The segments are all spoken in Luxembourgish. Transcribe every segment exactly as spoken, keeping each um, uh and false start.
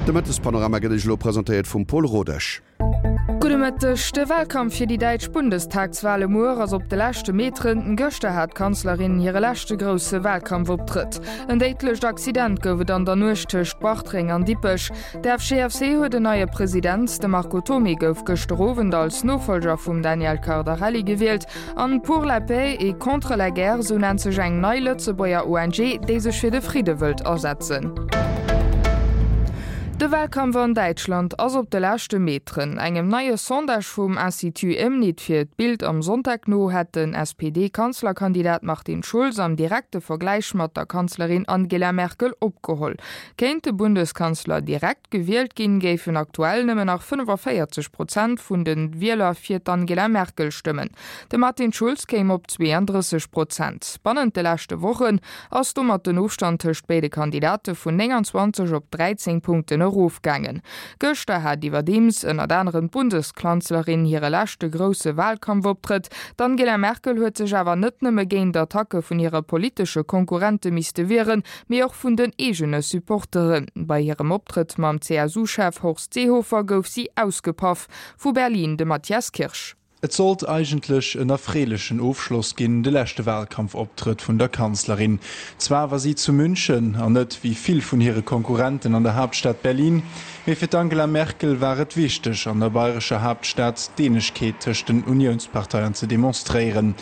De Mëttespanorama gëtt Iech elo presentéiert vum Paul Rodesch. Gudde Mëtteg. De Wahlkampf fir déi däitsch Bundestagswale muer ass op de leschte Meteren. Gëschter hat d'Kanzlerin hire leschte grousse Wahlkampfoptrëtt. En déidlecht Accident gouf et an der Nuecht tëscht Bartreng an Dippech. De FGFC huet en neie President, de Marco Thomé gouf gëschter Owend als Nofollger vum Daniel Cardarelli gewielt. An Pour la paix et contre la guerre, sou nennt sech eng nei Lëtzebuerger ONG, déi sech fir de Fridde wëllt asetzen. De Wahlkampf an Däitschland ass op de leschte Meteren. Engem neie Sondage vum Institut Emnid fir d'Bild am Sonntag no hätt den S P D-Kanzlerkandidat Martin Schulz am direkte Vergläich mat der Kanzlerin Angela Merkel opgeholl. Kéint de Bundeskanzler direkt gewielt ginn, géifen aktuell nëmmen nach fënnefavéierzeg Prozent vun de Wieler fir d'Angela Merkel stëmmen. De Martin Schulz kéim op zweeandrësseg Prozent. Bannent de leschte Wochen ass domat den Ofstand tëscht béide Kandidate vun nénganzwanzeg op dräizéng Punkten erofgaangen. Gëschter hat iwwerdeems ënnert anerem d'Bundeskanzlerin hire leschte grousse Walkampfoptrëtt. D'Angela Merkel huet sech awer net nëmme géint Attacke vun hire politesche Konkurrente misste wieren, mee och vun den eegene Supporteren. Bei hirem Optrëtt mam C S U-Chef Horst Seehofer gouf si ausgepaff. Vu Berlin de Matthias Kirsch. Et sollt eigentlech en erfreelechen Ofschloss ginn, de leschte Walkampfoptrëtt vun der Kanzlerin. Zwar war si zu München an net wéi vill vun hire Konkurrenten an der Haaptstad Berlin, mee fir d'Angela Merkel war et wichteg, an der bayrescher Haaptstad d'Eenegkeet tëscht den Uniounsparteien ze demonstréieren.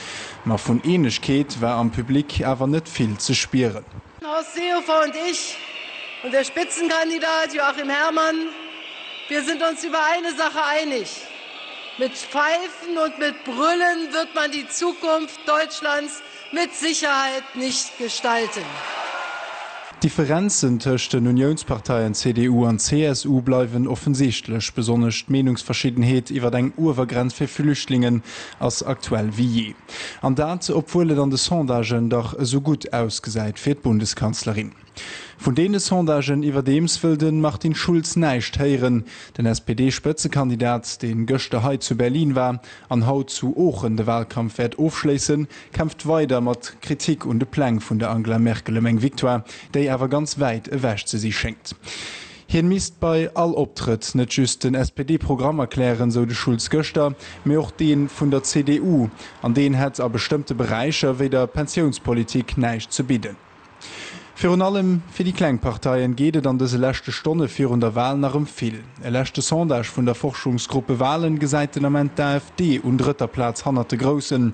Ma vun Eenegkeet war am Public awer net vill ze spieren. Horst Seehofer und ich und der Spitzenkandidat Joachim Herrmann, wir sind uns über eine Sache einig: Mit Pfeifen und mit Brüllen wird man die Zukunft Deutschlands mit Sicherheit nicht gestalten. D'Differenzen tëscht den Uniounsparteien C D U an C S U bleiwen offensichtlech, besonnesch d'Meenungsverschiddenheet iwwer eng Uewergrenz fir Flüchtlingen ass aktuell wéi jee. An dat, obwuel et an de Sondagen dach esou gutt ausgesäit fir d'Bundeskanzlerin. Vun deene Sondagen iwwerdeems wëll de Martin Schulz näischt héieren. Den S P D-Spëtzekandidat, dee gëschter hei zu Berlin war an haut zu Oochen de Walkampf wäert ofschléissen, kämpft weider mat Kritik un de Pläng vun der Angela Merkel ëm eng Victoire, déi awer ganz wäit ewech ze si schéngt. Hien misst bei all Optrëtt net just den S P D-Programm erklären, sou de Schulz gëschter, mee och dee vun der C D U, an deen hätt a bestëmmte Beräicher wéi der Pensiounspolitik näischt ze bidden. Virun allem fir déi kleng Parteien geet et an dëse leschte Stonne virun der Wal nach ëm vill. E leschte Sondage vun der Forschungsgruppe Wahlen gesäit den Ament d'A F D un drëtter Plaz hannert de Groussen.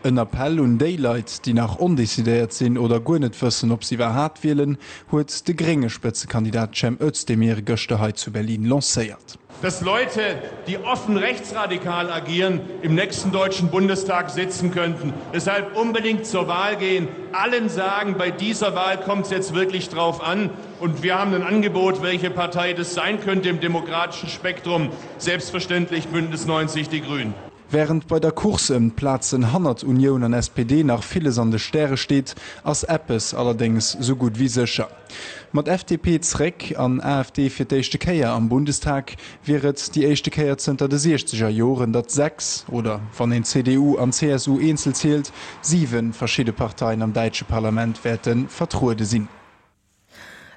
En Appell un déi Leit, déi nach ondecidéiert sinn oder guer net wëssen, ob si iwwerhaapt wielen, huet de grénge Spëtzekandidat Cem Özdemir gëschter hei zu Berlin lancéiert. Dass Leute, die offen rechtsradikal agieren, im nächsten Deutschen Bundestag sitzen könnten. Deshalb unbedingt zur Wahl gehen, allen sagen, bei dieser Wahl kommt es jetzt wirklich drauf an. Und wir haben ein Angebot, welche Partei das sein könnte im demokratischen Spektrum. Selbstverständlich Bündnis neunzig Die Grünen. Wärend bei der Course ëm d'Plazen hannert Unioun an S P D nach villes an de Stäre steet, ass eppes allerdéngs sou gutt wéi sécher. Mat F D P zréck an A F D fir d'éischte Kéier am Bundestag wier et déi éischte Kéier zënter de siechzeger Joren, datt sechs, oder wann een C D U an C S U eenzel zielt, siwe verschidde Parteien am däitsche Parlament wäerte vertruede sinn.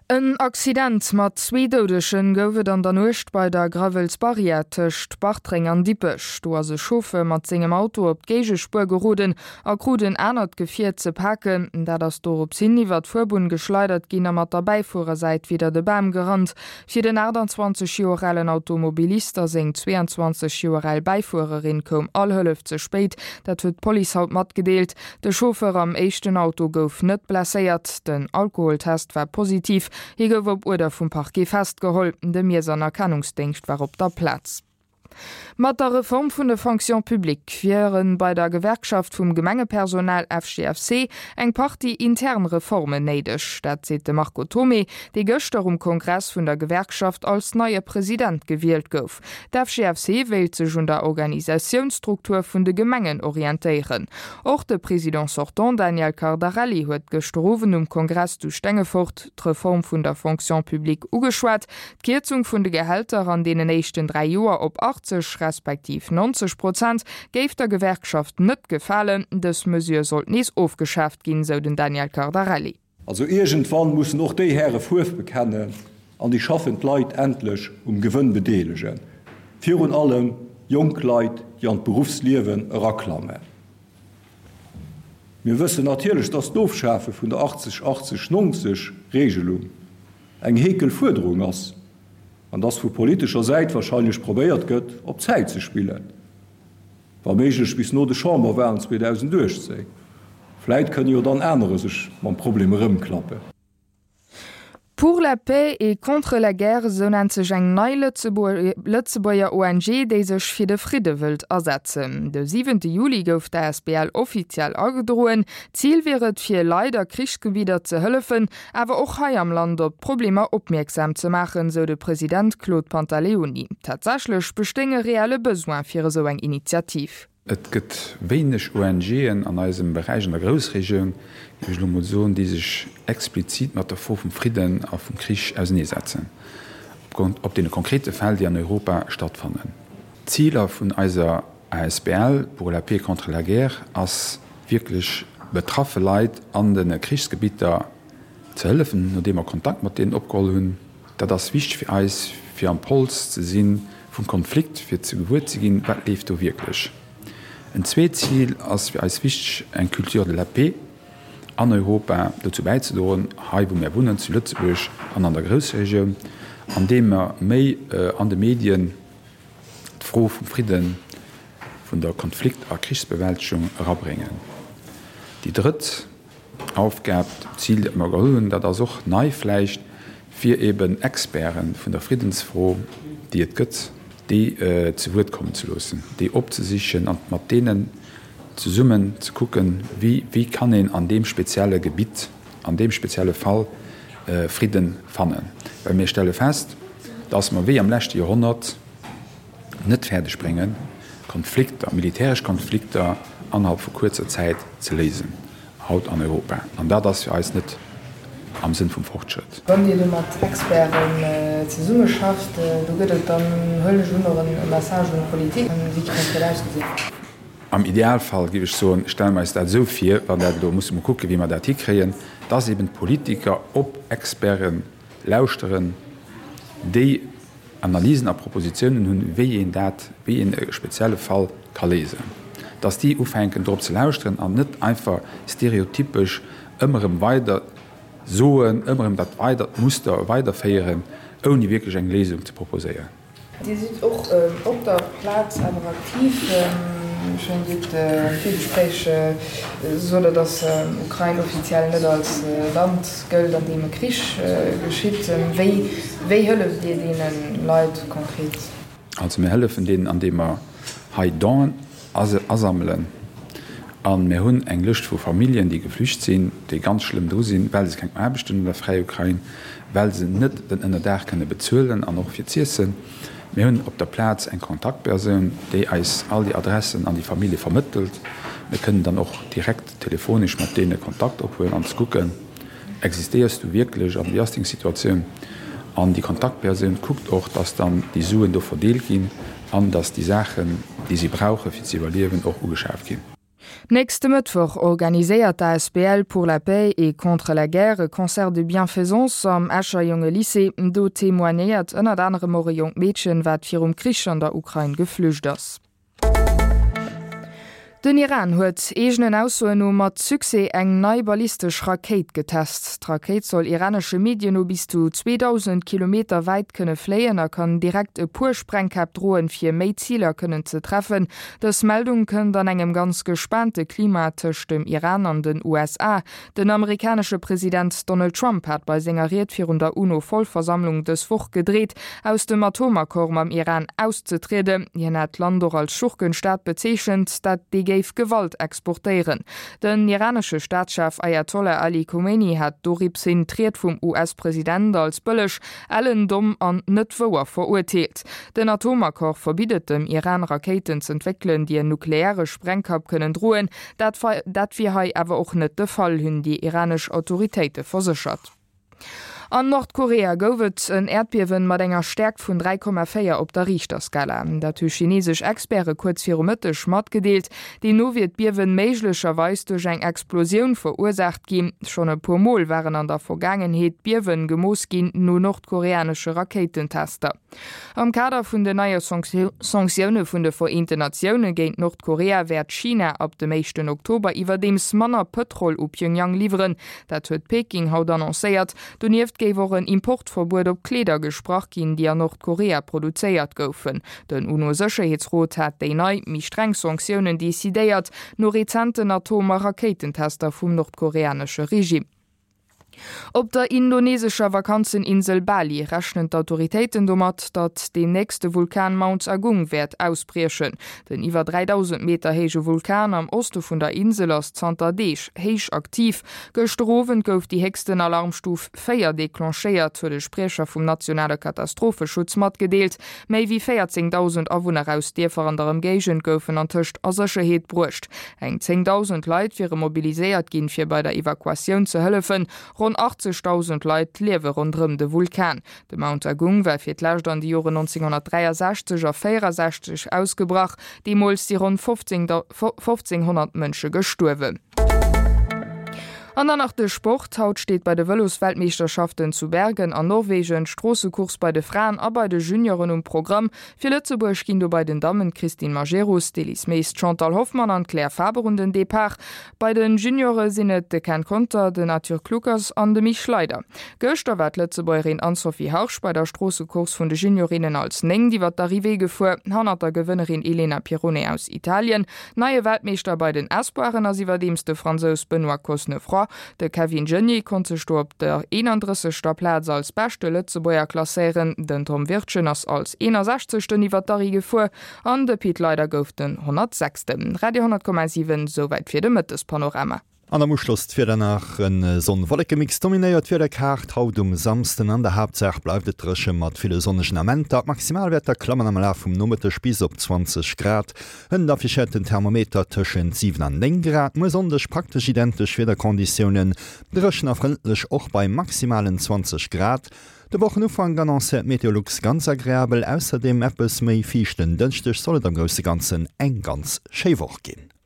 En Accident mat zwee Doudegen gouf et an der Nuecht bei der Gravelsbarrière tëscht Bartreng an Dippech. Do ass e Chauffeur mat sengem Auto op d'Géigespuer geroden a krut en anert Gefier ze paken. Dat ass dorops hin iwwer d'Fuerbunn geschleidert ginn a mat der Bäifuerersäit widder de Bam gerannt. Fir den aachtanzwanzeg Joer alen Automobilist a seng zweeanzwanzeg Joer al Bäifuererin koum all Hëllef ze spéit. Dat huet d'Police haut matgedeelt. De Chauffeur am éischten Auto gouf net blesséiert. Den Alkoholtest war positiv. Hie gouf op Uerder vum Parquet festgeholl. De Miess an Erkennungsdéngscht war op der Plaz. Mat der Reform vun der Fonction publique wiere bei der Gewerkschaft vum Gemengepersonal F G F C eng Partie intern Reformen néideg. Dat seet de Marco Thomé, dee gëschter um Kongress vun der Gewerkschaft als neie President gewielt gouf. D'F G F C wéilt sech un der Organisatiounsstruktur vun de Gemengen orientéieren. Och de Président sortant Daniel Cardarelli huet gëschter Owend um Kongress zu Stengefort d'Reform vun der Fonction publique ugeschwat. D'Kierzung vun de Gehälter an deenen éischten dräi Joer op achtzeg respektiv neunzeg Prozent géif der Gewerkschaft net gefalen. Dës Mesure sollt nees ofgeschaaft ginn, sou den Daniel Cardarelli. Also iergendwann mussen och déi Häre Fuerf bekennen, an déi schaffend Leit endlech um Gewënn bedeelegen, virun allem jonk Leit, déi an d'Beruffsliewen eraklammen. Mir wëssen natierlech, dass d'Ofschafe vun der achtzeg achtzeg nonzeg Regelung eng heekel Fuerderung ass an dass vu politescher Säit wahrscheinlech probéiert gëtt, op Zäit ze spillen, wa méiglech bis no de Chamberwahlen zweedausenduechtzéng. Vläit kënne jo dann anerer sech mam Problem erëmklappen. Pour la paix et contre la guerre, esou nennt sech eng nei Lëtzebuerger O N G, déi sech fir de Fridde wëllt asetzen. De siwente Juli gouf d'A S B L offiziell agedroen. Zil wier et, fir Leit a Krichsgebidder ze hëllefen, awer och hei am Land op d'Problemer opmierksam ze maachen, sou de President Claude Pantaleoni. Tatsächlech bestéing e reelle Besoin fir esou eng Initiativ. Et gëtt wéineg O N G'en an eisem Beräich, an der Groussregioun, géif ech elo mol soen, déi sech explizit mat der Fro vum Fridden a vum Krich auseneesetzen, op deene konkrete Fäll, déi an Europa stattfannen. D'Ziler vun eiser A S B L Pour la paix contre la guerre ass wierklech betraffe Leit an de Krichsgebitter ze hëllefen, nodeem mer Kontakt mat deenen opgeholl hunn. Dat ass wichteg fir eis, fir am Pols ze si vum Konflikt, fir ze gewuer ze ginn, wat leeft do wierklech. En zweet Zil ass fir eis wichteg, eng Culture de la paix an Europa dozou bäizedroen, hei wou mär wunnen, zu Lëtzebuerg an an der Groussregioun, andeem mer méi an de Medien d'Fro vum Fridden, vun der Konflikt a Krichsbewältegung erabréngen. Déi drëtt Aufgab, d'Zil, dat mer geholl hunn, dat ass och nei vläicht, fir eben Experte vun der Friddensfro, déi et gëtt, déi zu Wuert kommen ze loossen, déi opzesichen an mat deenen zesummen ze kucken, wéi, wéi kann een an deem spezielle Gebitt, an deem spezielle Fall Fridden fannen. Well mir stelle fest, dass mer wéi am leschte Joerhonnert net fäerdeg bréngen, Konflikter, militäresch Konflikter annerhalb vu kuerzer Zäit ze léisen, haut an Europa. An dat ass fir eis net am Sënn vum Fortschrëtt. Wann Dir do mat Experten zesummeschafft, do gëtt et dann, huelen ech un, och e Message un d'Politik. Wéi kéint dat ausgesinn? Am Idealfall, géif ech soen, stelle mer eis dat esou vir, wann dat elo, musse mer kucken, wéi mer dat hikréien, dass eben d'Politiker op Experte lauschteren, déi Analysen a Propositionen hunn, wéi een dat, wéi een e spezielle Fall ka léisen, dass déi ufänken drop ze lauschteren an net einfach stereotypesch ëmmer erëm weider soen, ëmmer erëm dat weidert Muster weiderféieren, ouni wierklech eng Léisung ze proposéieren. Dir sidd och op der Plaz awer aktiv. Ech mengen, Dir hutt am Virgespréich sot Der, datt Ukrain offiziell net als Land gëllt, an deem e Krich geschitt. Wéi, wéi hëlleft Dir deene Leit konkret? Also mir hëllefen deenen, andeem mer hei Donen asammelen. A mir hunn eng Lëscht vu Familljen, déi geflücht sinn, déi ganz schlëmm dru sinn, well se keng Aarbecht hunn an der fräier Ukrain, well se net den Ënnerdaach kënne bezuelen an och fir z'iessen. Mir hunn op der Plaz eng Kontaktpersoun, déi eis all déi Adressen an déi Famillje vermëttelt. Mir kënnen dann och direkt telefonesch mat deene Kontakt ophuelen an ze kucken, Existéiers du wierklech an wéi ass deng Situatioun? An déi Kontaktpersoun kuckt och, dass dann déi Suen do verdeelt ginn an dass déi Saachen, déi si brauche fir ze iwwerliewen, och ugeschaaft ginn. Nächste Mëttwoch organiséiert d'A S B L Pour la paix et contre la guerre e Concert de bienfaisance am Escher Jongelycée. Do témoignéiert ënnert anerem och e jonkt Meedchen, wat virum Krich an der Ukrain geflücht ass. Den Iran huet eegenen Aussoen no mat Succès eng nei ballistesch Rakéit getest. D'Rakéit soll iranesche Medien no bis zu zweedausend Kilometer wäit kënne fléien a kann direkt e puer Sprengkäpp droen, fir méi Ziler kënnen ze treffen. Dës Meldung kënnt an engem ganz gespaante Klima tëscht dem Iran an den U S A. Den amerikanesche President Donald Trump hat bei senger Ried virun der UNO-Vollversammlung dës Woch gedreet, aus dem Atomaccord mam Iran auszetrieden. Hien hat d'Land och als Schurkenstaat bezeechent, dat dee géif Gewalt exportéieren. Den iranesche Staatschef Ayatollah Ali Khomeini hat doropshin d'Ried vum U S-President als bëlleg, ellen, domm an net wouer verurteelt. Den Atomaccord verbitt dem Iran Rakéiten z'entwéckelen, déi en nukleare Sprengkapp kënnen droen. Dat, dat wier hei awer och net de Fall, hunn déi iranesch Autoritéite verséchert. An Nordkorea gouf et en Äerdbiewen mat enger Stäerkt vun dräi Komma véier op der Richterskala. Dat hu chinesesch Experte kuerz viru Mëtteg matgedeelt. Deemno wier d'Biewen méiglecherweis duerch eng Explosioun verursaacht ginn. Schonn e puer Mol waren an der Vergaangenheet Biewen gemooss ginn no nordkoreanesche Rakéitentester. Am Kader vun den neie Sanktioune vun de Vereenten Natioune géint Nordkorea wäert China ab dem éischten Oktober iwwerdeems manner Pëtrol u Pjöngjang liwweren. Dat huet Peking haut annoncéiert. Donieft géif och en Importverbuet op Kleeder gesprach ginn, déi an Nordkorea produzéiert goufen. Den UNO-Sécherheetsrot hat déi nei, méi streng Sanktiounen decidéiert, no rezenten Atom a Rakéitentester vum nordkoreanesche Regime. Op der indonesescher Vakanzeninsel Bali rechnen d'Autoritéiten domat, datt deemnächst de Vulkan Mount Agung wäert ausbriechen. Den iwwer dräidausend Meter héije Vulkan am Oste vun der Insel ass zanter Deeg héich aktiv. Gëschter Owend gouf déi héchsten Alarmstuf véier declenchéiert, huet e Spriecher vum nationale Katastropheschutz matgedeelt. Méi wéi véierzéngdausend Awunner aus Dierfer an der Ëmgéigend goufen antëscht a Sécherheet bruecht. Eng zéngdausend Leit wiere mobiliséiert ginn, fir bei der Evakuatioun ze hëllefen. Ronn achtzegdausend Leit liewe ronderëm de Vulkan. De Mount Agung war fir d'lescht an de Joren nonzénghonnertdräiasechzeg a véierasechzeg ausgebrach. Deemools si ronn fofzénghonnert Mënsche gestuerwen. An dann nach de Sport, Haut steet bei de Vëlosweltmeeschterschaften zu Bergen an Norwegen d'Stroossecourse bei de Fraen a bei de Junioren um Programm. Fir Lëtzebuerg ginn do bei den Dammen d'Christine Majerus, d'Elise Mees, d'Chantal Hoffmann an d'Claire Faber un den Depart. Bei den Juniore sinn et de Ken Conter, den Arthur Kluckers an de Mich Schleider. Gëschter war d'Lëtzebuergerin Anne-Sophie Harsch bei der Stroossecourse vun de Juniorinnen als Néngt iwwer d'Arrivée gefuer, hannert der Gewënnerin Elena Pirrone aus Italien. Neie Weltmeeschter bei den Espoiren ass iwwerdeems de Fransous Benoît Cosnefroy. De Kevin Geniets konnt sech do op der eenandrëssegster Plaz als beschte Lëtzebuerger klasséieren, den Tom Wirtgen ass als eenasechzegsten iwwer d'Arri gefuer an de Pit Leyder gouf den honnertsechsten. Radio honnertkommasiwen, souwäit fir de Mëttespanorama. An am Uschloss d'Wieder nach, En Sonn-Wollekemix dominéiert d'Wiederkaart haut um Samsden. An der Haaptsaach bleift et dréche mat ville sonnegen Amenter. D'Maximalwäerter klammen am Laf vum Nomëtteg bis op zwanzeg Grad. Hënt affichéiert den Thermometer tëschent siwen an néng Grad. Muer Sonndeg praktesch identesch Wiederkonditiounen, dréchen a frëndlech och bei maximalen zwanzeg Grad. De Wochenufank annoncéiert Meteolux ganz agreabel, ausserdeem eppes méi fiichten Dënschdeg soll et am grousse Ganzen eng ganz schéi Woch ginn.